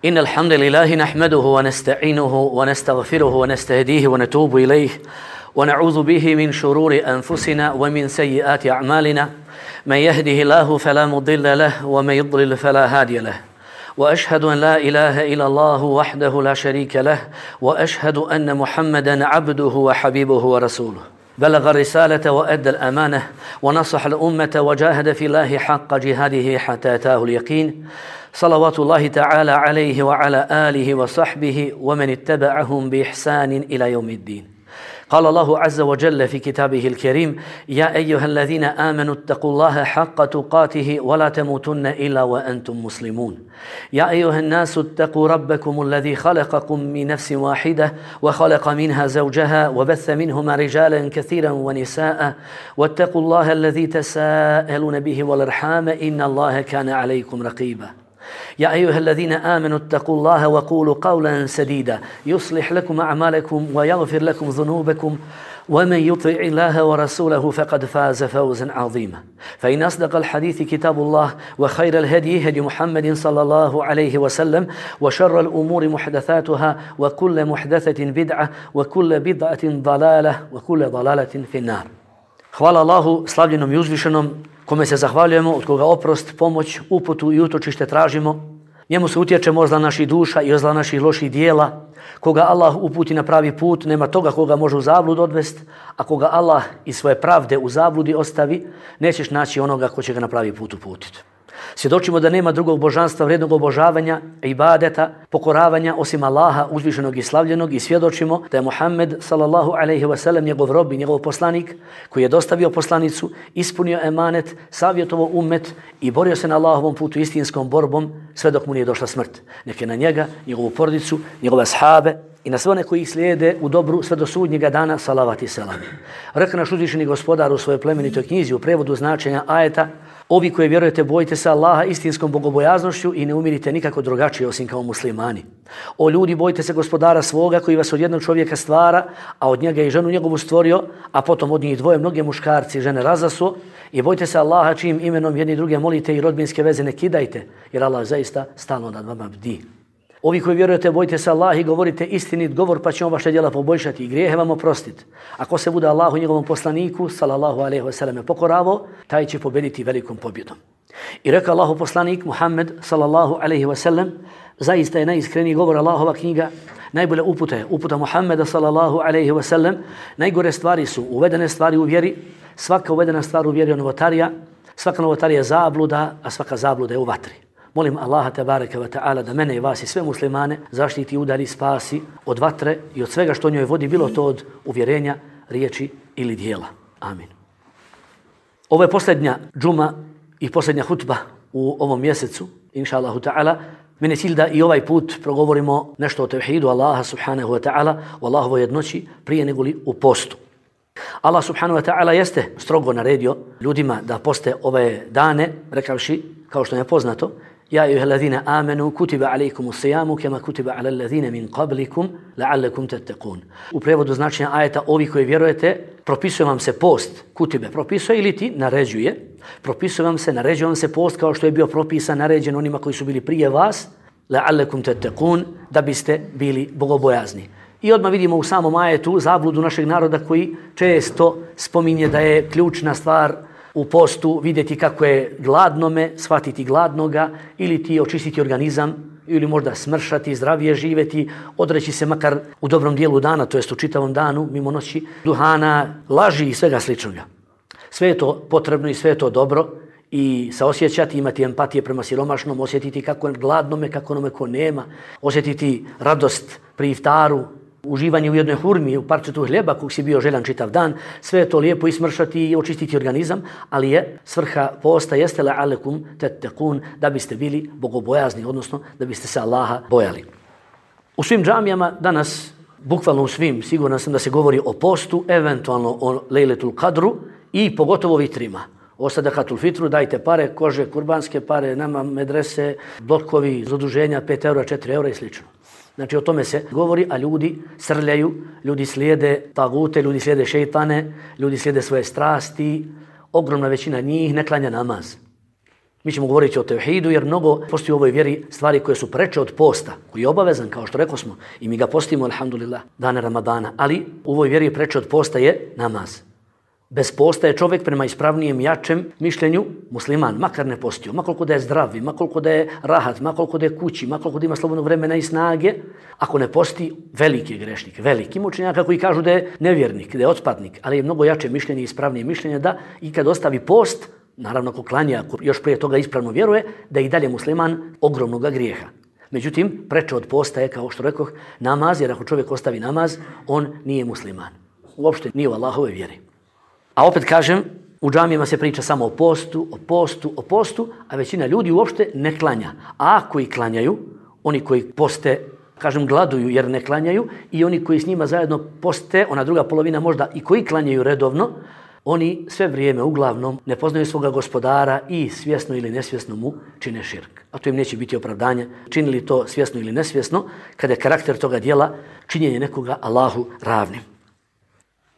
إن الحمد لله نحمده ونستعينه ونستغفره ونستهديه ونتوب إليه ونعوذ به من شرور أنفسنا ومن سيئات أعمالنا من يهده الله فلا مضل له ومن يضلل فلا هادي له وأشهد أن لا إله إلا الله وحده لا شريك له وأشهد أن محمدا عبده وحبيبه ورسوله بلغ الرسالة وأدى الأمانة ونصح الأمة وجاهد في الله حق جهاده حتى أتاه اليقين صلوات الله تعالى عليه وعلى آله وصحبه ومن اتبعهم بإحسان إلى يوم الدين. قال الله عز وجل في كتابه الكريم: يا أيها الذين آمنوا اتقوا الله حق تقاته ولا تموتن إلا وأنتم مسلمون. يا أيها الناس اتقوا ربكم الذي خلقكم من نفس واحدة وخلق منها زوجها وبث منهما رجالا كثيرا ونساء واتقوا الله الذي تساءلون به والأرحام إن الله كان عليكم رقيبا. يا أيها الذين آمنوا اتقوا الله وقولوا قولا سديدا يصلح لكم أعمالكم ويغفر لكم ذنوبكم ومن يطع الله ورسوله فقد فاز فوزا عظيما. فإن أصدق الحديث كتاب الله وخير الهدي هدي محمد صلى الله عليه وسلم وشر الأمور محدثاتها وكل محدثة بدعة وكل بدعة ضلالة وكل ضلالة في النار. Hvala Allahu slavljenom i uzvišenom, kome se zahvaljujemo, od koga oprost, pomoć, uputu i utočište tražimo. Njemu se utječemo od zla naših duša i od zla naših loših dijela. Koga Allah uputi na pravi put, nema toga koga može u zablud odvesti, a koga Allah iz svoje pravde u zabludi ostavi, nećeš naći onoga ko će ga na pravi put uputiti. Svjedočimo da nema drugog božanstva vrijednog obožavanja, ibadeta, pokoravanja osim Allaha uzvišenog i slavljenog i svjedočimo da je Muhammed sallallahu alejhi ve sellem njegov rob i njegov poslanik koji je dostavio poslanicu, ispunio emanet, savjetovao ummet i borio se na Allahovom putu istinskom borbom sve dok mu nije došla smrt. Neka na njega, njegovu porodicu, njegove ashabe i na sve one koji ih slijede u dobru sve do sudnjega dana salavat i selam. Rekao naš uzvišeni gospodar u svojoj plemenitoj knjizi u prevodu značenja ajeta: ovi koji vjerujete, bojite se Allaha istinskom bogobojaznošću i ne umirite nikako drugačije osim kao muslimani. O ljudi, bojite se gospodara svoga koji vas od jednog čovjeka stvara, a od njega i ženu njegovu stvorio, a potom od njih dvoje mnoge muškarci i žene razasuo. I bojite se Allaha čijim imenom jedni druge molite i rodbinske veze ne kidajte, jer Allah zaista stalno nad vama bdi. Ovi koji vjerujete, bojite se Allah i govorite istinit govor, pa će on vaše djela poboljšati i grijehe vam oprostiti. Ako se bude Allahu i njegovom poslaniku sallallahu alejhi ve selleme pokoravao, taj će pobediti velikom pobjedom. I rekao Allahu poslanik Muhammed sallallahu alejhi ve sellem: zaista je najiskreniji govor Allahova knjiga, najbolja uputa je uputa Muhammeda sallallahu alejhi ve sellem. Najgore stvari su uvedene stvari u vjeri, svaka uvedena stvar u vjeri je novotarija, svaka novotarija je zabluda, a svaka zabluda je u vatri. Molim Allaha tebareke ve ta'ala da mene i vas i sve muslimane zaštiti i udari, spasi od vatre i od svega što njoj vodi, bilo to od uvjerenja, riječi ili dijela. Amin. Ovo je posljednja džuma i posljednja hutba u ovom mjesecu, inša Allahu ta'ala. Mene je cilj da i ovaj put progovorimo nešto o tevhidu Allaha subhanahu wa ta'ala, o Allahovoj jednoći prije negoli u postu. Allah subhanahu wa ta'ala jeste strogo naredio ljudima da poste ove dane, rekavši, kao što je poznato: ja ejuhellazina amenu kutiba alejkumus sijamu kema kutiba alel ladzina min qablikum la'allakum tattaqun. U prevodu značenja ajeta: ovi koji vjerujete, propisuje vam se post. Kutibe propisuje ili ti naređuje. Propisuje vam se, naređuje vam se post kao što je bio propisan, naređen onima koji su bili prije vas, la'allakum tattaqun, da biste bili bogobojazni. I odmah vidimo u samom ajetu zabludu našeg naroda koji često spominje da je ključna stvar u postu vidjeti kako je gladnome, shvatiti gladnoga, ili ti očistiti organizam, ili možda smršati, zdravije živjeti, odreći se makar u dobrom dijelu dana, to jest u čitavom danu, mimo noći, duhana, laži i svega sličnoga. Sve je to potrebno i sve je to dobro i saosjećati, imati empatije prema siromašnom, osjetiti kako je gladnome, kako onome ko nema, osjetiti radost pri iftaru, uživanje u jednoj hurmi, u parčetu hljeba kog si bio željan čitav dan, sve je to lijepo ismršati i očistiti organizam, ali je svrha posta jeste la'allakum tattaqun, da biste bili bogobojazni, odnosno da biste se Allaha bojali. U svim džamijama danas, bukvalno u svim, siguran sam da se govori o postu, eventualno o Lejletul Kadru i pogotovo vitrima. O sadakatul fitru, dajte pare, kože, kurbanske pare, nama medrese, blokovi, zaduženja, 5 eura, 4 eura i slično. Znači o tome se govori, a ljudi srljaju, ljudi slijede tagute, ljudi slijede šejtane, ljudi slijede svoje strasti. Ogromna većina njih ne klanja namaz. Mi ćemo govoriti o tevhidu jer mnogo postoji u ovoj vjeri stvari koje su preče od posta, koji je obavezan, kao što rekao smo, i mi ga postimo, alhamdulillah, dane Ramadana. Ali u ovoj vjeri preče od posta je namaz. Bez posta je čovjek prema ispravnijem, jačem mišljenju musliman, makar ne postio, makoliko da je zdravi, makoliko da je rahat, makoliko da je kući, makoliko da ima slobodnog vremena i snage. Ako ne posti, veliki je grešnik, veliki učenjaka koji kažu da je nevjernik, da je otpadnik, ali je mnogo jače mišljenje i ispravnije mišljenje da i kad ostavi post, naravno ako klanja, ako još prije toga ispravno vjeruje, da je i dalje musliman ogromnog grijeha. Međutim, preče od posta je, kao što rekoh, namaz, jer ako čovjek ostavi namaz, on nije musliman. Uopšte nije u Allahove vjeri. A opet kažem, u džamijama se priča samo o postu, a većina ljudi uopšte ne klanja. A ako i klanjaju, oni koji poste, kažem, gladuju jer ne klanjaju, i oni koji s njima zajedno poste, ona druga polovina možda i koji klanjaju redovno, oni sve vrijeme uglavnom ne poznaju svoga gospodara i svjesno ili nesvjesno mu čine širk. A to im neće biti opravdanje, činili to svjesno ili nesvjesno, kada je karakter toga dijela činjenje nekoga Allahu ravnim.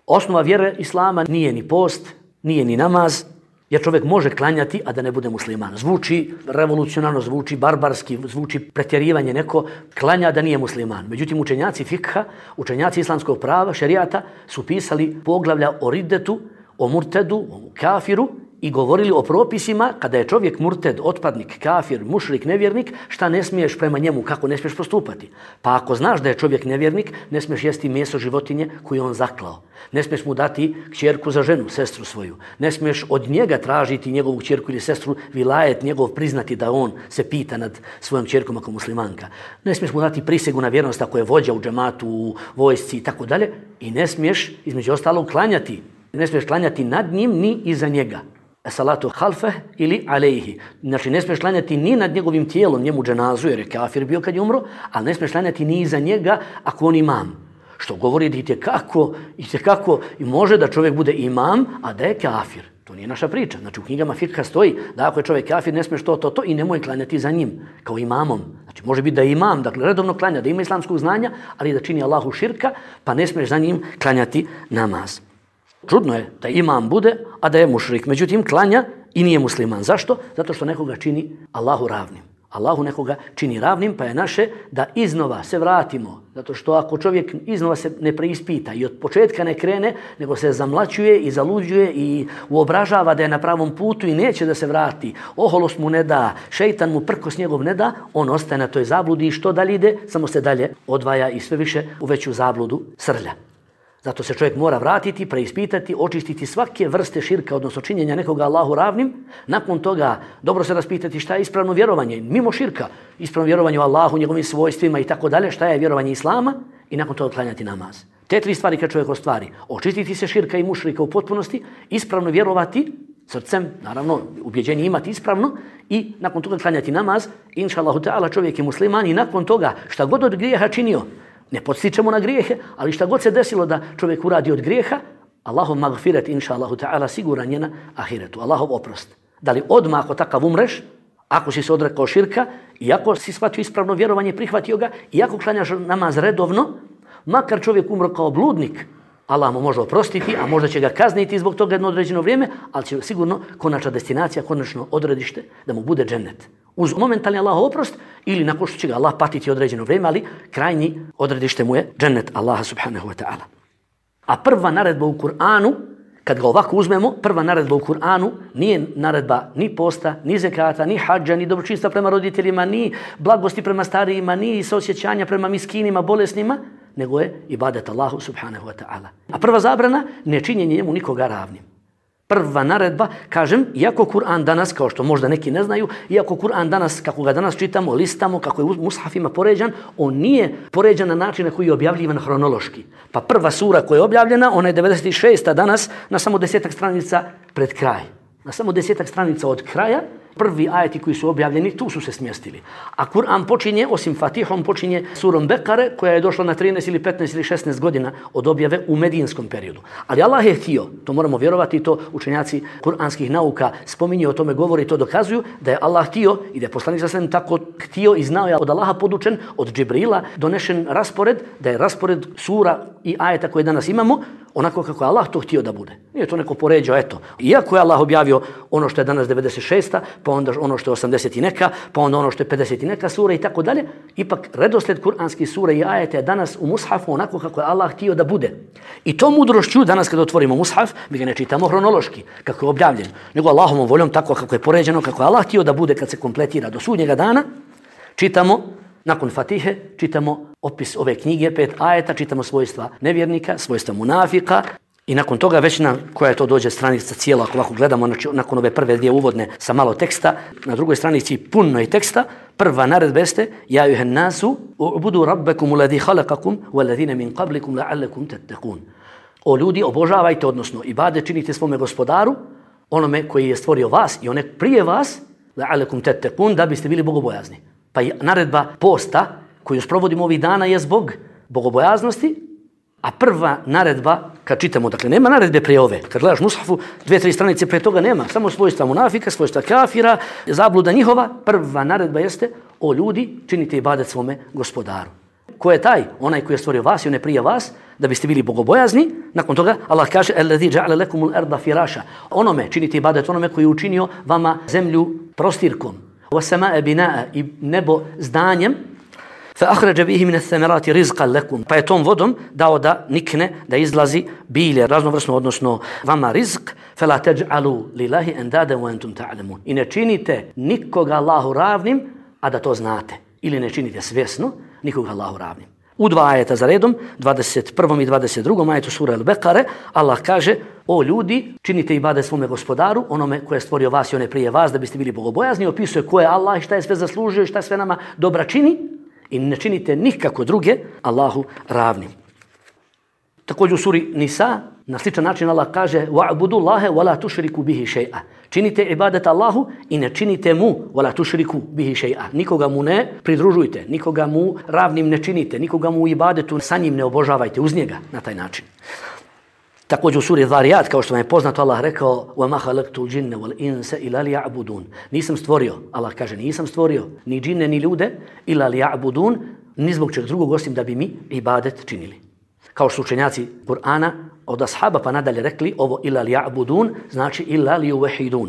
Osnova vjere Islama nije ni post, nije ni namaz, jer čovjek može klanjati, a da ne bude musliman. Zvuči revolucionarno, zvuči barbarski, zvuči pretjerivanje, neko klanja da nije musliman. Međutim, učenjaci fikha, učenjaci islamskog prava, šerijata, su pisali poglavlja o riddetu, o murtedu, o kafiru i govorili o propisima kada je čovjek murted, otpadnik, kafir, mušrik, nevjernik, šta ne smiješ prema njemu, kako ne smiješ postupati. Pa ako znaš da je čovjek nevjernik, ne smiješ jesti meso životinje koju on zaklao. Ne smiješ mu dati kćerku za ženu, sestru svoju. Ne smiješ od njega tražiti njegovu kćerku ili sestru, vilajet njegov priznati da on se pita nad svojom kćerkom ako muslimanka. Ne smiješ mu dati prisegu na vjernost ako je vođa u džematu, u vojsci i tako dalje. I ne smiješ, između ostalog, klanjati. Ne smiješ klanjati nad njim ni iza njega. Salatu halfe ili alejhi. Znači ne smiješ klanjati ni nad njegovim tijelom, njemu dženazu jer je kafir bio kad je umro, ali ne smiješ klanjati ni iza njega ako on imam. Što govori da itekako i može da čovjek bude imam, a da je kafir. To nije naša priča. Znači u knjigama fikha stoji da ako je čovjek kafir ne smiješ to i nemoj klanjati za njim kao imamom. Znači može biti da je imam, dakle redovno klanja, da ima islamskog znanja, ali da čini Allahu širka, pa ne smiješ za njim klanjati namaz. Čudno je da imam bude, a da je mušrik. Međutim, klanja i nije musliman. Zašto? Zato što nekoga čini Allahu ravnim. Allahu nekoga čini ravnim, pa je naše da iznova se vratimo. Zato što ako čovjek iznova se ne preispita i od početka ne krene, nego se zamlaćuje i zaluđuje i uobražava da je na pravom putu i neće da se vrati, oholost mu ne da, šeitan mu prkos njegov ne da, on ostaje na toj zabludi i što dalje ide, samo se dalje odvaja i sve više u veću zabludu srlja. Zato se čovjek mora vratiti, preispitati, očistiti svake vrste širka, odnosno činjenja nekoga Allahu ravnim. Nakon toga dobro se raspitati šta je ispravno vjerovanje, mimo širka, ispravno vjerovanje u Allahu, njegovim svojstvima i tako dalje, šta je vjerovanje Islama i nakon toga klanjati namaz. Te tri stvari kad čovjek ostvari, očistiti se širka i mušrika u potpunosti, ispravno vjerovati srcem, naravno, ubjeđenje imati ispravno i nakon toga klanjati namaz, inša Allahu ta'ala čovjek je musliman i nakon toga šta god od grijeha činio, ne podstičemo na grijehe, ali šta god se desilo da čovjek uradi od grijeha, Allahov magfiret, inša Allahu ta'ala, siguran je na ahiretu. Allahov oprost. Da li odmah ako takav umreš, ako si se odrekao širka, i ako si shvatio ispravno vjerovanje, prihvatio ga, i ako klanjaš namaz redovno, makar čovjek umro kao bludnik, Allah mu može oprostiti, a možda će ga kazniti zbog toga jedno određeno vrijeme, ali će sigurno konačna destinacija, konačno odredište da mu bude džennet. Uz momentalni Allahov oprost ili nakon što će ga Allah patiti određeno vrijeme, ali krajnji odredište mu je džennet Allaha subhanahu wa ta'ala. A prva naredba u Kur'anu, kad ga ovako uzmemo, prva naredba u Kur'anu nije naredba ni posta, ni zekata, ni hadža, ni dobročinstva prema roditeljima, ni blagosti prema starijima, ni saosjećanja prema miskinima, bolesnima, nego je ibadet Allahu subhanahu wa ta'ala. A prva zabrana, nečinjenje njemu nikoga ravnim. Prva naredba, kažem, iako Kur'an danas, kao što možda neki ne znaju, iako Kur'an danas, kako ga danas čitamo, listamo, kako je u mushafima poređan, on nije poređan na način na koji je objavljivan hronološki. Pa prva sura koja je objavljena, ona je 96. danas na samo 10 stranica pred kraj. Na samo 10 stranica od kraja, prvi ajeti koji su objavljeni, tu su se smjestili. A Kur'an počinje, osim Fatihom, počinje surom Bekare, koja je došla na 13 ili 15 ili 16 godina od objave u medijinskom periodu. Ali Allah je htio, to moramo vjerovati, to učenjaci kuranskih nauka spominju, o tome govori, to dokazuju, da je Allah htio i da je poslanik sallallahu alejhi ve sellem tako htio i znao, je od Allaha podučen, od Džibrila donešen raspored, da je raspored sura i ajeta koje danas imamo, onako kako je Allah to htio da bude. Nije to neko poređao, eto. Iako je Allah objavio ono što je danas 96. pa onda ono što je 80 i neka, pa onda ono što je 50 i neka sura i tako dalje. Ipak redosled kuranskih sura i ajeta je danas u mushafu onako kako je Allah htio da bude. I to mudrošću danas kad otvorimo mushaf, mi ga ne čitamo hronološki, kako je objavljen, nego Allahovom voljom tako kako je poređeno, kako je Allah htio da bude kad se kompletira do sudnjega dana. Čitamo nakon Fatihe, čitamo opis ove knjige, 5 ajeta, čitamo svojstva nevjernika, svojstva munafika i nakon toga već na koja je to dođe stranica cijela, ako ovako gledamo nakon ove prve dvije uvodne sa malo teksta, na drugoj stranici puno i teksta, prva naredba jeste ja ejuhan nasu ubudu rabbakum alladhi khalaqakum walladhina min qablikum la'allakum tattaqun. O ljudi, obožavajte, odnosno ibadet činite svome gospodaru, onome koji je stvorio vas i one prije vas, la'allakum tattaqun, da biste bili bogobojazni. Pa naredba posta koju sprovodimo ovih dana je zbog bogobojaznosti, a prva naredba, kad čitamo, dakle nema naredbe prije ove, kad gledaš mushafu, 2-3 stranice prije toga nema, samo svojstva munafika, svojstva kafira, zabluda njihova, prva naredba jeste o ljudi, činite ibadet svome gospodaru. Ko je taj? Onaj koji je stvorio vas i one prije vas, da biste bili bogobojazni. Nakon toga Allah kaže alladhi ja'ala lakumul arda firasha. Onome činite ibadet onome koji je učinio vama zemlju prostirkom. وَسَمَاءَ بِنَاءَ i nebo zdanjem, فَأَخْرَجَ بِهِ مِنَ الثَّمَرَاتِ رِزْقًا لَكُمْ pa je tom vodom dao da nikne, da izlazi bilje, raznovrsno, odnosno vama rizq, فَلَا تَجْعَلُوا لِلَهِ أَنْدَادًا وَأَنْتُمْ تَعْلَمُونَ i ne činite nikoga Allahu ravnim, a da to znate. Ili ne činite svjesno nikoga Allahu ravnim. U 2 ajeta za redom, 21. i 22. ajetu sura Al-Bekare, Allah kaže, o ljudi, činite ibadet svome gospodaru, onome koje je stvorio vas i one prije vas, da biste bili bogobojazni, opisuje ko je Allah i šta je sve zaslužio i šta sve nama dobra čini i ne činite nikako druge Allahu ravnim. Također u suri Nisa, na sličan način Allah kaže وَعْبُدُ اللَّهَ وَلَا تُشْرِكُ بِهِ شَيْئًا činite ibadet Allahu i ne činite mu وَلَا تُشْرِكُ بِهِ شَيْئًا nikoga mu ne pridružujte, nikoga mu ravnim ne činite, nikoga mu u ibadetu sa njim ne obožavajte uz njega na taj način. Također u suri Zariyat, kao što vam je poznato, Allah rekao وَمَا خَلَقْتُ الْجِنَّ وَالْإِنسَ إِلَّا لِيَعْبُدُونَ nisam stvorio, Allah kaže nisam stvorio ni džine ni ljude إِلَّا لِيَعْبُدُونَ ni zbog čeg drugog osim da bi mi ibadet činili. Kao što učenjaci Kur'ana od ashaba pa nadalje rekli ovo illa liya'budun znači illa liyuwahidun.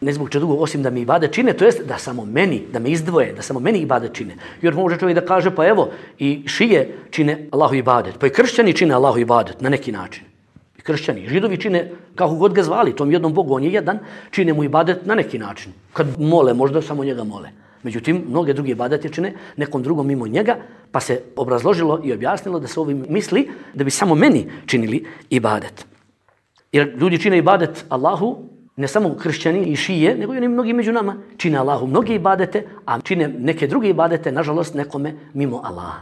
Ne zbog čega drugog osim da mi ibadet čine, to jest da samo meni, da me izdvoje, da samo meni ibadet čine. Jer može čovjek da kaže pa evo i šije čine Allahu ibadet, pa i kršćani čine Allahu ibadet na neki način. I kršćani, i židovi čine kako god ga zvali, tom jednom Bogu, on je jedan, čine mu ibadet na neki način. Kad mole, možda samo njega mole. Međutim, mnoge druge ibadete čine nekom drugom mimo njega, pa se obrazložilo i objasnilo da se ovim misli da bi samo meni činili ibadet. Jer ljudi čine ibadet Allahu, ne samo kršćani i šije, nego i oni mnogi među nama čine Allahu mnoge ibadete, a čine neke druge ibadete, nažalost, nekome mimo Allaha.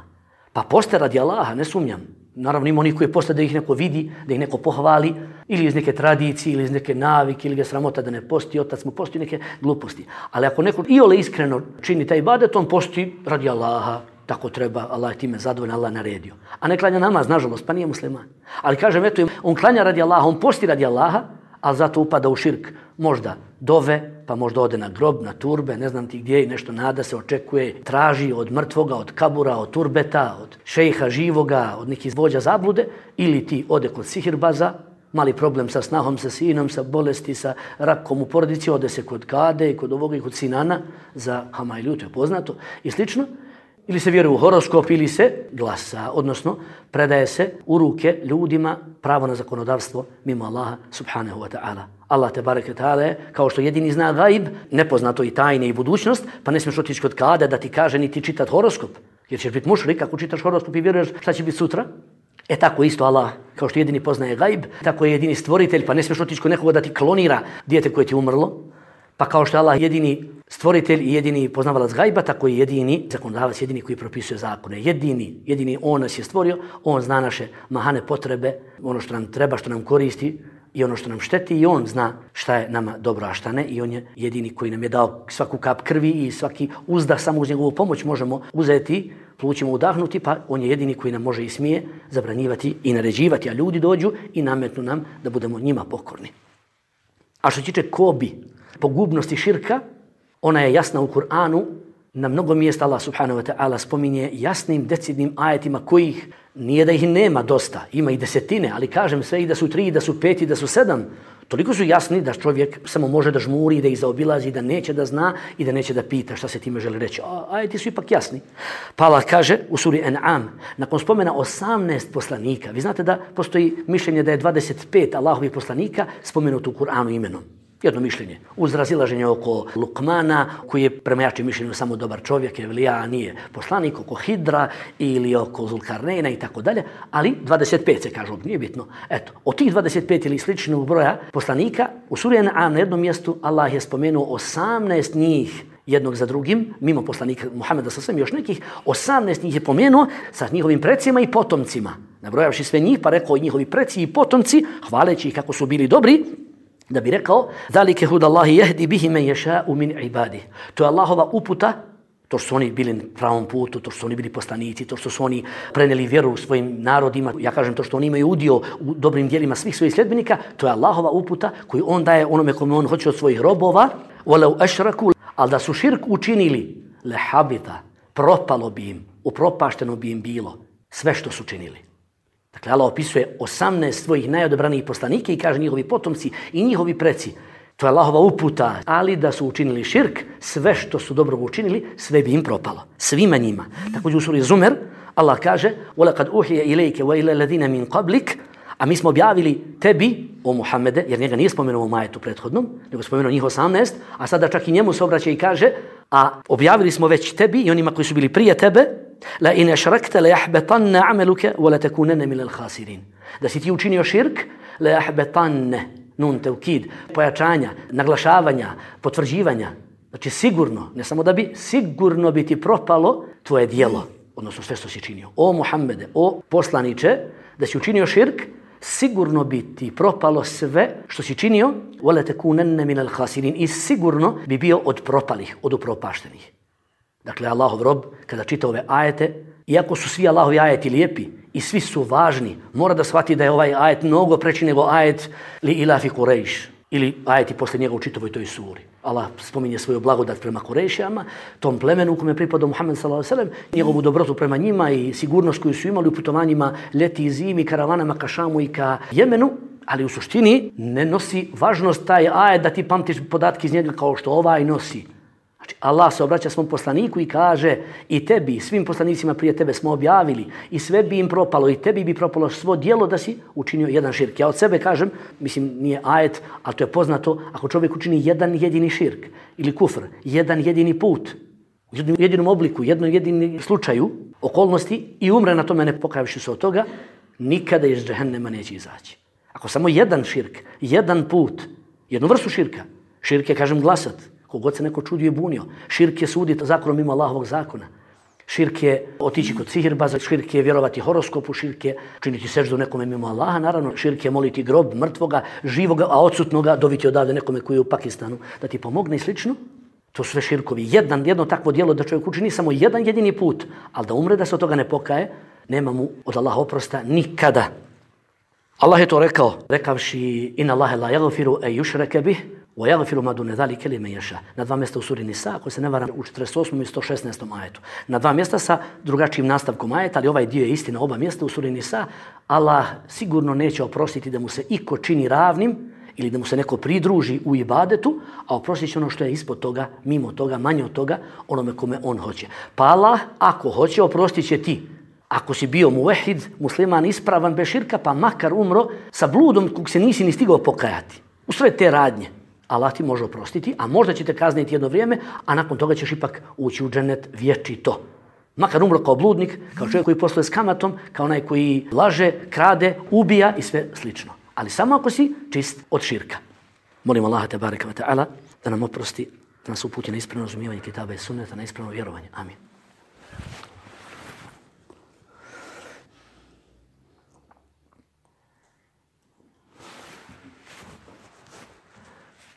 Pa poste radi Allaha, ne sumnjam. Naravno ima onih koji poste da ih neko vidi, da ih neko pohvali, ili iz neke tradicije, ili iz neke navike, ili ga sramota da ne posti, otac mu posti neke gluposti. Ali ako neko iole iskreno čini taj ibadet, on posti radi Allaha, tako treba, Allah je time zadovoljan, Allah naredio. A ne klanja namaz, nažalost, pa nije musliman. Ali kažem, eto, on klanja radi Allaha, on posti radi Allaha, ali zato upada u širk. Možda dove, pa možda ode na grob, na turbe, ne znam ti gdje i nešto nada se očekuje, traži od mrtvoga, od kabura, od turbeta, od šejha živoga, od nekih vođa zablude, ili ti ode kod sihirbaza, mali problem sa snahom, sa sinom, sa bolesti, sa rakom u porodici, ode se kod kade, kod ovoga i kod sinana, za Hamajliju, to je poznato, i slično. Ili se vjeruje u horoskop, ili se glasa, odnosno predaje se u ruke ljudima pravo na zakonodavstvo mimo Allaha subhanahu wa ta'ala. Allah te bareke ta'ala kao što jedini zna gaib, nepoznato i tajne i budućnost, pa ne smiješ otići kod kada da ti kaže niti čitati horoskop, jer ćeš biti mušrik ako čitaš horoskop i vjeruješ šta će biti sutra. E tako isto Allah, kao što jedini poznaje gaib, tako je jedini stvoritelj, pa ne smiješ otići kod nekoga da ti klonira dijete koje ti umrlo. Pa kao što je Allah jedini stvoritelj i jedini poznavalac gajba, tako i jedini zakonodavac, jedini koji propisuje zakone. Jedini on nas je stvorio, on zna naše mahane potrebe, ono što nam treba, što nam koristi i ono što nam šteti i on zna šta je nama dobro, a šta ne. I on je jedini koji nam je dao svaku kap krvi i svaki uzdah, samo uz njegovu pomoć možemo uzeti, plućima udahnuti, pa on je jedini koji nam može i smije zabranjivati i naređivati, a ljudi dođu i nametnu nam da budemo njima pokorni. A što tiče kobi, pogubnosti širka, ona je jasna u Kur'anu Na mnogo mjesta Allah subhanahu wa ta'ala spominje jasnim, decidnim ajetima kojih nije da ih nema dosta, ima i desetine, ali kažem sve i da su 3, da su 5 i da su 7. Toliko su jasni da čovjek samo može da žmuri, da ih zaobilazi, da neće da zna i da neće da pita šta se time želi reći. Ajeti su ipak jasni. Pa Allah kaže u suri An'am, nakon spomena 18 poslanika, vi znate da postoji mišljenje da je 25 Allahovih poslanika spomenuto u Kur'anu imenom. Jedno mišljenje. Uz razilaženje oko Lukmana, koji je prema jačim mišljenju samo dobar čovjek, Evlija nije poslanik, oko Hidra ili oko Zulkarnejna i tako dalje, ali 25 se kažu, nije bitno. Eto, od tih 25 ili sličnog broja poslanika, u suri An'am na jednom mjestu Allah je spomenuo 18 njih jednog za drugim, mimo poslanika Muhameda sa svem još nekih, 18 njih je pomenuo sa njihovim precima i potomcima. Nabrojavši sve njih, pa rekao i njihovi preci i potomci, hvaleći ih kako su bili dobri, da bi rekao zalike hudallahi yahdi bihi man yasha'u min ibadihi. To je Allahova uputa, to što su oni bili na pravom putu, to što su oni bili poslanici, to što su oni prenijeli vjeru svojim narodima, ja kažem to što oni imaju udio u dobrim djelima svih svojih sljedbenika, to je Allahova uputa koju on daje onome kome on hoće od svojih robova. Walau ashraku, al da su širk učinili, lehabita, propalo bi im, upropašteno bi im bilo sve što su činili. Dakle, Allah opisuje 18 svojih najodobranijih poslanika i kaže njihovi potomci i njihovi preci. To je Allahova uputa, ali da su učinili širk, sve što su dobro učinili, sve bi im propalo. Svima njima. Također u suri Zumer, Allah kaže وَلَقَدْ أُوحِيَ إِلَيْكَ وَإِلَى الَّذِينَ مِنْ قَبْلِكَ. A mi smo objavili tebi, o Muhammede, jer njega nije spomenuo u majetu prethodnom, nego spomenuo njih 18, a sada čak i njemu se obraća i kaže, a objavili smo već tebi i onima koji su bili prije tebe, la in ashrakta la yahbatanna 'amaluka wa la takunanna min al-khasirin. Da si ti učinio širk, la yahbatanna, nun tevkid, pojačanja, naglašavanja, potvrđivanja. Znači sigurno, ne samo da bi, sigurno bi ti propalo tvoje djelo, odnosno sve što si činio. O Muhammede, o poslaniče, da si učinio širk, sigurno bi ti propalo sve što si činio, وَلَا تَكُونَنَّ مِنَ الْخَاسِرِينَ, i sigurno bi bio od propalih, od upropaštenih. Dakle, Allahov rob, kada čita ove ajete, iako su svi Allahovi ajeti lijepi i svi su važni, mora da shvati da je ovaj ajet mnogo preći nego ajet li ilafi Kurejš, ili ajeti posle njega u čitavoj toj suri. Allah spominje svoju blagodat prema Kurejšijama, tom plemenu u kome pripada Muhammed s.a.v., njegovu dobrotu prema njima i sigurnost koju su imali u putovanjima ljeti i zimi, karavanama ka Šamu i ka Jemenu, ali u suštini ne nosi važnost taj ajet da ti pamtiš podatke iz njega kao što ovaj nosi. Znači, Allah se obraća svom poslaniku i kaže i tebi, svim poslanicima prije tebe smo objavili i sve bi im propalo i tebi bi propalo svo djelo da si učinio jedan širk. Ja od sebe kažem, mislim nije ajet, ali to je poznato, ako čovjek učini jedan jedini širk ili kufr, jedan jedini put, u jednom jedinom obliku, jednom jedinom slučaju, okolnosti i umre na tome ne pokajavši se od toga, nikada iz džehennema neće izaći. Ako samo jedan širk, jedan put, jednu vrstu širka, širk je, kažem, glasat, kogod se neko čudio i bunio. Širk je suditi zakonom mimo Allahovog zakona. Širk je otići kod sihirbaza, širk je vjerovati horoskopu, širk je činiti seždu nekome mimo Allaha, naravno. Širk je moliti grob mrtvoga, živoga, a odsutnoga doviti odavde nekome koji je u Pakistanu da ti pomogne i slično. To su sve širkovi. Jedno takvo djelo da čovjek učini samo jedan jedini put, ali da umre da se od toga ne pokaje, nema mu od Allaha oprosta nikada. Allah je to rekao, rekavši inna Allahe la yaghfiru an yushraka bih wa yaghfiru ma dune zalika liman yasha. Na dva mjesta u suri Nisa, ako se ne varam, u 48. i 116. ajetu. Na dva mjesta sa drugačijim nastavkom ajeta, ali ovaj dio je istina, oba mjesta u suri Nisa. Allah sigurno neće oprostiti da mu se iko čini ravnim ili da mu se neko pridruži u ibadetu, a oprostit će ono što je ispod toga, mimo toga, manje od toga, onome kome on hoće. Pa Allah, ako hoće, oprostit će ti. Ako si bio muvehid, musliman ispravan bez širka, pa makar umro sa bludom kog se nisi ni stigao pokajati. U sve te radnje Allah ti može oprostiti, a možda će te kazniti jedno vrijeme, a nakon toga ćeš ipak ući u džennet vječito. Makar umro kao bludnik, kao čovjek koji posluje s kamatom, kao onaj koji laže, krade, ubija i sve slično. Ali samo ako si čist od širka. Molim Allaha tebareka ve ta'ala da nam oprosti, da nas uputi na ispravno razumijevanje kitaba i sunneta, na ispravno vjerovanje. Amin.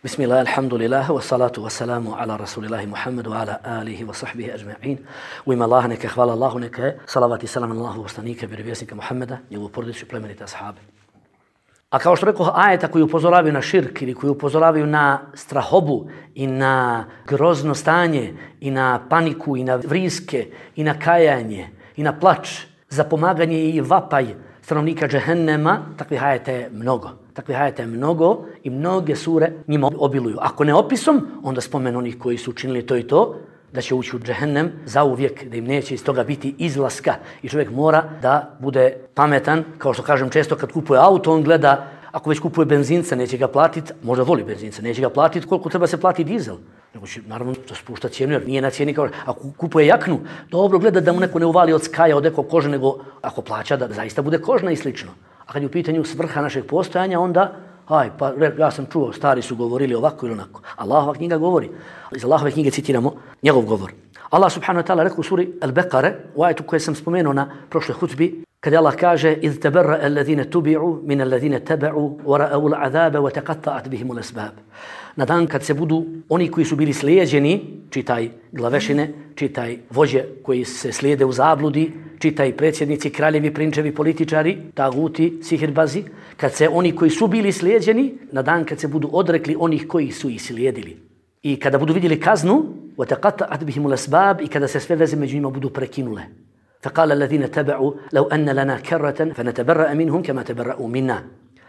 Bismillah, alhamdulillah, wa salatu wa salamu ala rasulillahi Muhammedu, ala alihi wa sahbihi ajma'in. U ime Allaha neka hvala Allahu, neka je salavat i salam na Allahu poslanika, vjerovjesnika Muhammeda, njegovu porodicu i plemenite ashabe. A kao što rekao, ajeta koji upozoravaju na širk ili koji upozoravaju na strahobu i na grozno stanje i na paniku i na vriske i na kajanje i na plač, za pomaganje i vapaj stanovnika džehennema, takvih ajeta je mnogo. Takvih ajeta je mnogo i mnoge sure njima obiluju. Ako ne opisom, onda spomenu onih koji su učinili to i to, da će ući u džehennem zauvijek, da im neće iz toga biti izlaska. I čovjek mora da bude pametan, kao što kažem često kad kupuje auto, on gleda, ako već kupuje benzinca, neće ga platiti, možda voli benzinca, neće ga platiti koliko treba se plati dizel. Nego će, naravno, to spušta cijenu, jer nije na cijeni kao, ako kupuje jaknu, dobro gleda da mu neko ne uvali od skaja, od nekog kože, nego ako plaća da zaista bude kožna i slično. A kad je u pitanju svrha našeg postojanja, onda pa ja sam čuo, stari su govorili ovako ili onako. Allahova knjiga govori. Iz Allahove knjige citiramo njegov govor. Allah subhanahu wa ta'ala rekao u suri Al-Baqara, u ajetu koje sam spomenuo na prošloj hutbi, kada Allah kaže إِذْ تَبَرَّأَ الَّذِينَ تُبِعُوا مِنَ الَّذِينَ تَبَعُوا وَرَأَوُا الْعَذَابَ وَتَقَطَّعَتْ بِهِمُ الْأَسْبَابُ. Na dan kad se budu oni koji su bili slijeđeni, čitaj glavešine, čitaj vođe koji se slijede u zabludi, čitaj predsjednici, kraljevi, prinčevi, političari, taguti, sihirbazi, kad se oni koji su bili slijeđeni, na dan kad se budu odrekli onih koji su ih slijedili. I kada budu vidjeli kaznu, وَتَقَطَّعَتْ بِهِمُ الْأَسْبَابُ, i kada se sve veze među njima budu prekinule. فَقَالَ الَّذِينَ تَبَعُوا لَوْ أَنَّ لَنَا كَرَّةً فَنَتَبَرَّأَ مِنْهُمْ كَمَا تَبَرَّأُوا مِنَّا.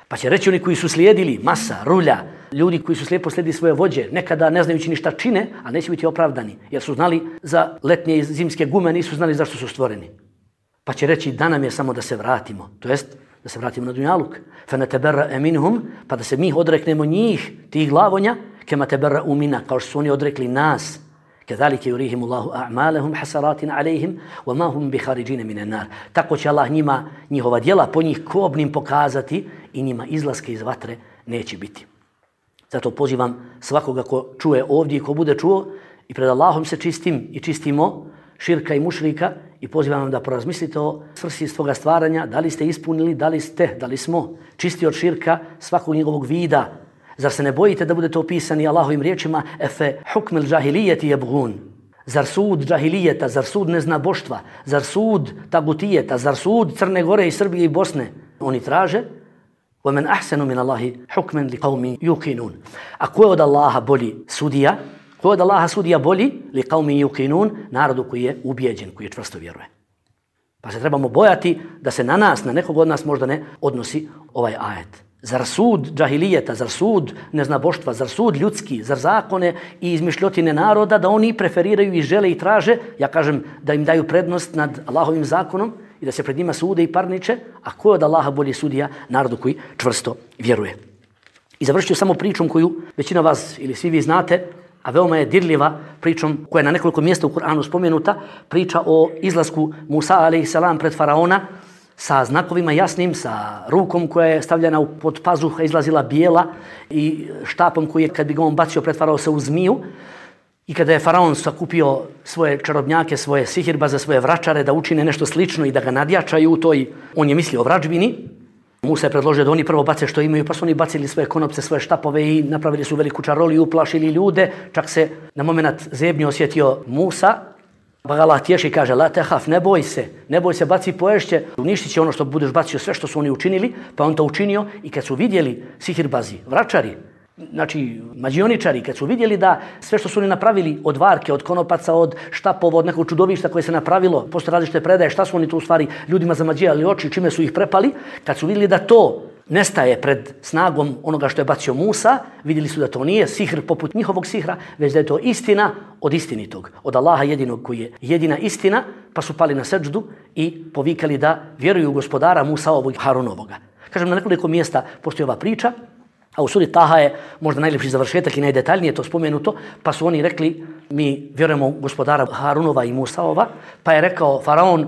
Pa će reći oni koji su slijedili, masa, rulja, ljudi koji su slijepo slijedili svoje vođe, nekada ne znajući ništa čine, ali neće biti opravdani, jer su znali za letnje i zimske gume, nisu znali zašto su stvoreni. Pa će reći da nam je samo da se vratimo, to jest da se vratimo na dunjaluk. فَنَتَبَرَّأَ مِنْهُمْ, pa da se mi odreknemo njih, tih glavonja, كَمَا تَبَرَّأُوا مِنَّا, kao što su oni odrekli nas. كذلك يريهم الله أعمالهم حسرات عليهم وما هم بخارجين من النار. Tako će Allah njima njihova djela po njih kobnim pokazati i njima izlaske iz vatre neće biti. Zato pozivam svakoga ko čuje ovdje i ko bude čuo i pred Allahom se čistim i čistimo širka i mušrika i pozivam vam da porazmislite o svrsi svoga stvaranja, da li ste ispunili, da li smo čisti od širka svakog njegovog vida. Zar se ne bojite da budete opisani Allahovim riječima efe hukmel džahilijeti jebgun? Zar sud džahilijeta, zar sud neznaboštva, zar sud tagutijeta, zar sud Crne Gore i Srbije i Bosne? Oni traže وَمَنْ أَحْسَنُ مِنَ اللَّهِ حُكْمًا لِقَوْمِ يُقِنُونَ. A ko je od Allaha bolji sudija? Ko je od Allaha sudija bolji? لِقَوْمِ يُقِنُونَ, narodu koji je ubijeđen, koji je čvrsto vjeruje. Pa se trebamo bojati da se na nas, na nekog od nas možda ne odnosi ovaj ajet. Zar sud džahilijeta, zar sud neznaboštva, zar sud ljudski, zar zakone i izmišljotine naroda da oni preferiraju i žele i traže, ja kažem da im daju prednost nad Allahovim zakonom i da se pred njima sude i parniče, a ko je od Allaha bolji sudija? Narodu koji čvrsto vjeruje. I završit ću samo pričom koju većina vas ili svi vi znate, a veoma je dirljiva pričom koja je na nekoliko mjesta u Kur'anu spomenuta, priča o izlasku Musa a.s. pred faraona, sa znakovima jasnim, sa rukom koja je stavljena pod pazuha, izlazila bijela i štapom koji je, kad bi ga on bacio, pretvarao se u zmiju. I kada je faraon sakupio svoje čarobnjake, svoje sihirbaze, svoje vračare da učine nešto slično i da ga nadjačaju u toj, on je mislio o vračbini. Musa je predložio da oni prvo bace što imaju, pa su oni bacili svoje konopce, svoje štapove i napravili su veliku čaroliju, uplašili ljude. Čak se na moment zebnje osjetio Musa. Pa ga Allah tješi i kaže, la tehaf, ne boj se, baci poješće, uništit će ono što budeš bacio, sve što su oni učinili, pa on to učinio i kad su vidjeli sihirbazi, vračari, znači mađioničari, kad su vidjeli da sve što su oni napravili od varke, od konopaca, od štapova, od nekog čudovišta koje se napravilo, postoje različite predaje, šta su oni tu u stvari ljudima zamađijali oči, čime su ih prepali, kad su vidjeli da to nestaje pred snagom onoga što je bacio Musa, vidjeli su da to nije sihr poput njihovog sihra, već da je to istina od istinitog, od Allaha jedinog koji je jedina istina, pa su pali na seđdu i povikali da vjeruju u gospodara Musaovog i Harunovoga. Kažem, na nekoliko mjesta postoji ova priča, a u suri Taha je možda najljepši završetak i najdetaljnije to spomenuto, pa su oni rekli, mi vjerujemo u gospodara Harunova i Musaova, pa je rekao faraon,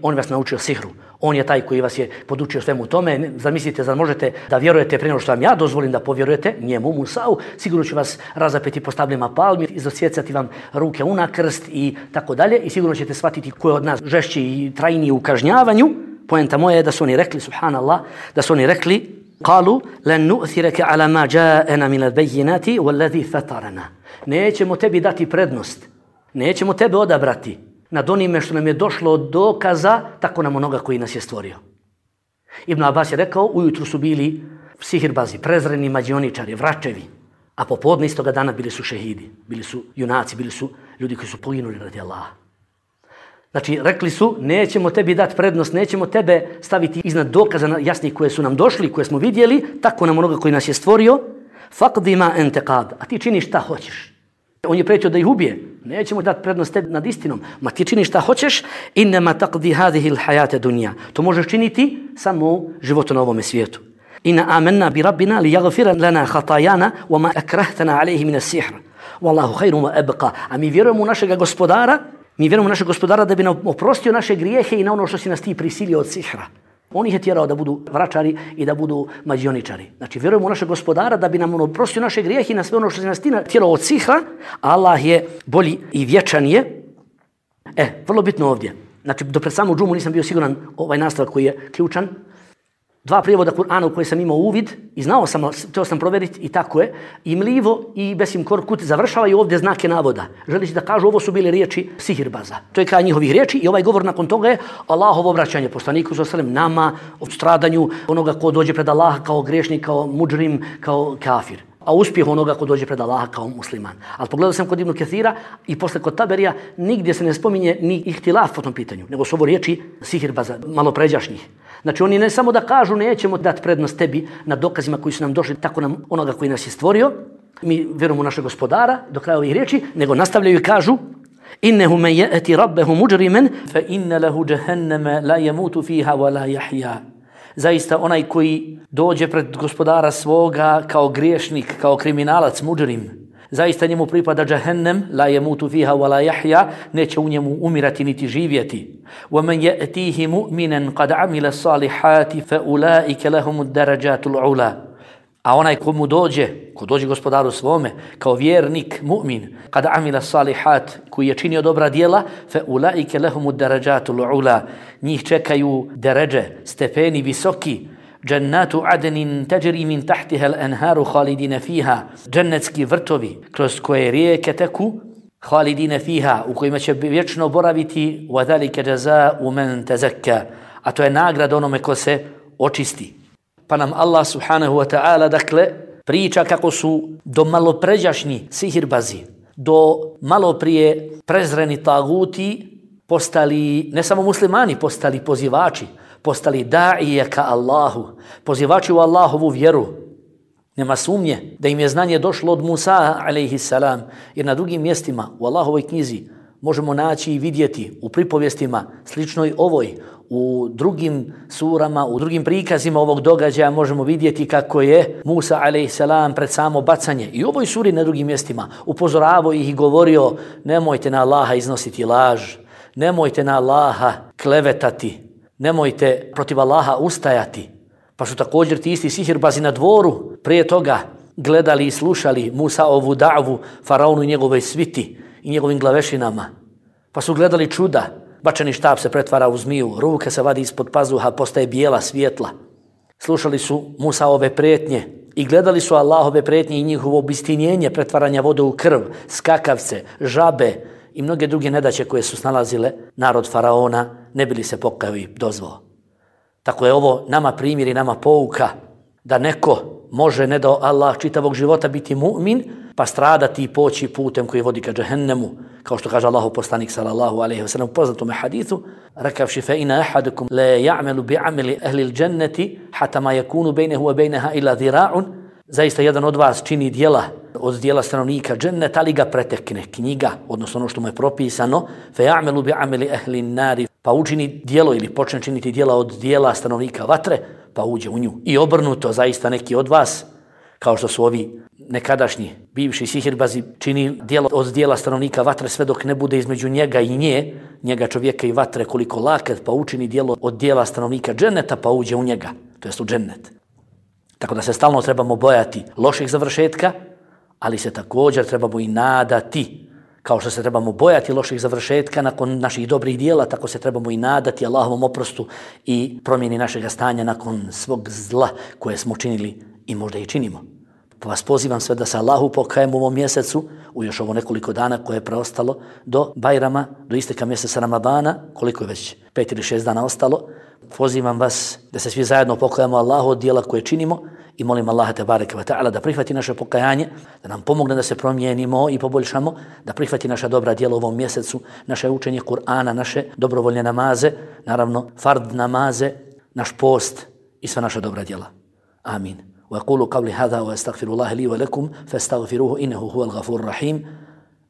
on vas naučio sihru. On je taj koji vas je podučio svemu tome. Zamislite, zar možete da vjerujete prije nego što vam ja dozvolim da povjerujete njemu, Musau, sigurno ću vas razapeti po stablima palmi, izosjecati vam ruke u krst i tako dalje i sigurno ćete shvatiti ko je od nas žešći i trajniji u kažnjavanju. Poenta moja je da su oni rekli, subhanallah, da su oni rekli, قالوا لن نؤثرك على ما جاءنا من البينات والذي فطرنا. Nećemo tebi dati prednost, nećemo tebe odabrati nad onime što nam je došlo od dokaza, tako nam onoga koji nas je stvorio. Ibn Abbas je rekao, ujutru su bili sihirbazi, prezreni mađioničari, vračevi, a popodne istoga dana bili su šehidi, bili su junaci, bili su ljudi koji su poginuli radi Allaha. Znači, rekli su, nećemo tebi dati prednost, nećemo tebe staviti iznad dokaza jasnih koje su nam došli, koje smo vidjeli, tako nam onoga koji nas je stvorio, faqdi ma ente qad, a ti činiš šta hoćeš. On je pretio da ih ubije, nećemo dati prednost tebi nad istinom, ma ti činiš šta hoćeš, innama taqdi hadihi l-hayate dunja. To možeš činiti samo u životu na ovome svijetu. Inna amanna bi rabbina li yaghfira lana khatayana wa ma akrahtana alayhi min as-sihr. Wallahu khayrun wa abqa. A mi vjerujemo u našeg gospodara, da bi nam oprostio naše grijehe i na ono što si nas ti prisilio od sihra. On ih je tjerao da budu vračari i da budu mađioničari. Znači, vjerujemo u našeg gospodara da bi nam oprostio naše grijehe i na sve ono što si nas ti tjerao od sihra. Allah je bolji i vječan je. Vrlo bitno ovdje. Znači, do pred samu džumu nisam bio siguran ovaj nastavak koji je ključan. 2 prijevoda Kur'ana u koje sam imao uvid i znao sam, htio sam provjeriti i tako je. I mlivo i Besim Korkut završavaju ovdje znake navoda. Želi da kažu ovo su bile riječi sihirbaza. To je kraj njihovih riječi i ovaj govor nakon toga je Allahovo obraćanje poslaniku s.a.v. nama o stradanju onoga ko dođe pred Allaha kao griješnik, kao mudžrim, kao kafir. A uspjeh onoga ko dođe pred Allaha kao musliman. Ali pogledao sam kod Ibn Kathira i posle kod Taberija nigdje se ne spominje ni ihtilaf po tom pitanju, nego su ovo riječi sihirbaza, malo pređašnjih. Znači oni ne samo da kažu nećemo dati prednost tebi na dokazima koji su nam došli, tako nam onoga koji nas je stvorio, mi vjerujemo u našeg gospodara do kraja ovih riječi, nego nastavljaju i kažu innehu men ya'ti rabbahu mujriman fa inna lahu jahannama la yamutu fiha wa la yahya. Zaista onaj koji dođe pred gospodara svoga kao griješnik, kao kriminalac, mudžrim, zaista njemu pripada džahennem, la yamutu fiha wa la yahya, neće u njemu umirati niti živjeti. Wa man ya'tihi mu'minan qad 'amila salihati fa ulaika lahum ad-darajatul 'ula. A onaj ko dođe gospodaru svome, kao vjernik, mu'min, kad amila salihat, koji je činio dobra djela, fe ulaike lehumu darajatul ula. Njih čekaju deređe, stepeni visoki, džennatu adenin teđeri min tahtiha al-anharu khalidina fiha, džennetski vrtovi, kroz koje rijeke teku, khalidina fiha, u kojima će vječno boraviti, wa dhalika jaza'u man tazakka. A to je nagrada onome ko se očisti. Pa nam Allah subhanahu wa ta'ala dakle priča kako su do malopređašnji sihirbazi, do maloprije prezreni taguti postali, ne samo muslimani, postali pozivači, postali da'ije ka Allahu, pozivači u Allahovu vjeru. Nema sumnje da im je znanje došlo od Musa alejhi salam, jer na drugim mjestima u Allahovoj knjizi možemo naći i vidjeti u pripovjestima sličnoj ovoj, u drugim surama, u drugim prikazima ovog događaja možemo vidjeti kako je Musa a.s. pred samo bacanje i u ovoj suri na drugim mjestima upozoravao ih i govorio nemojte na Allaha iznositi laž, nemojte na Allaha klevetati, nemojte protiv Allaha ustajati. Pa su također ti isti sihirbazi na dvoru prije toga gledali i slušali Musa ovu da'vu faraonu i njegove sviti i njegovim glavešinama. Pa su gledali čuda. Bačeni štab se pretvara u zmiju, ruka se vadi ispod pazuha, postaje bijela svjetla. Slušali su Musaove prijetnje i gledali su Allahove prijetnje i njihovo obistinjenje, pretvaranja vode u krv, skakavce, žabe i mnoge druge nedaće koje su snalazile narod faraona, ne bili se pokajao i dozvao. Tako je ovo nama primjer i nama pouka da neko može, ne da Allah čitavog života biti mu'min, pa stradati i poći putem koji vodi ka džehennemu, kao što kaže Allahov poslanik sallallahu alejhi ve sellem u poznatom hadithu, rekavši fa ina ahadukum la ya'malu bi'amali ahli al-jannati hatta ma yakunu bainahu wa bainaha illa dhira'un. Zaista jedan od vas čini djela od djela stanovnika dženneta, ali ga pretekne knjiga, odnosno ono što mu je propisano, fa ya'malu bi'amali ahli an-nari, pa učini djelo ili počne činiti djela od djela stanovnika vatre, pa uđe u nju. I obrnuto, zaista neki od vas, kao što su ovi nekadašnji bivši sihirbazi, čini djelo od djela stanovnika vatre sve dok ne bude između njega i njega čovjeka i vatre koliko laket, pa učini djelo od djela stanovnika dženneta, pa uđe u njega, to jest u džennet. Tako da se stalno trebamo bojati loših završetka, ali se također trebamo i nadati. Kao što se trebamo bojati loših završetka nakon naših dobrih djela, tako se trebamo i nadati Allahovom oprostu i promjeni našeg stanja nakon svog zla koje smo činili i možda i činimo. Pa vas pozivam sve da se Allahu pokajemo u ovom mjesecu, u još ovo nekoliko dana koje je preostalo, do Bajrama, do isteka mjeseca Ramadana, koliko je već 5 ili 6 dana ostalo. Pozivam vas da se svi zajedno pokajemo Allahu od dijela koje činimo i molim Allaha tebareke ve ta'ala da prihvati naše pokajanje, da nam pomogne da se promijenimo i poboljšamo, da prihvati naša dobra djela u ovom mjesecu, naše učenje Kur'ana, naše dobrovoljne namaze, naravno fard namaze, naš post i sva naša dobra djela. Amin. وأقول قولي هذا وأستغفر الله لي ولكم فاستغفروه إنه هو الغفور الرحيم.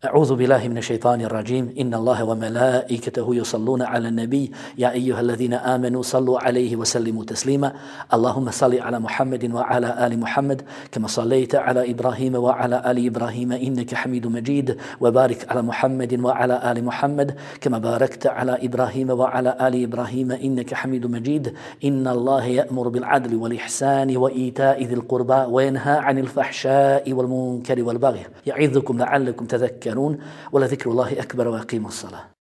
أعوذ بالله من الشيطان الرجيم. إن الله وملائكته يصلون على النبي يا أيها الذين آمنوا صلوا عليه وسلموا تسليما. اللهم صل على محمد وعلى آل محمد كما صليت على إبراهيم وعلى آل إبراهيم إنك حميد مجيد وبارك على محمد وعلى آل محمد كما باركت على إبراهيم وعلى آل إبراهيم إنك حميد مجيد. إن الله يأمر بالعدل والإحسان وإيتاء ذي القربى وينهى عن الفحشاء والمنكر والبغي يعظكم لعلكم تذكرون ولذكر الله أكبر وأقيموا الصلاة.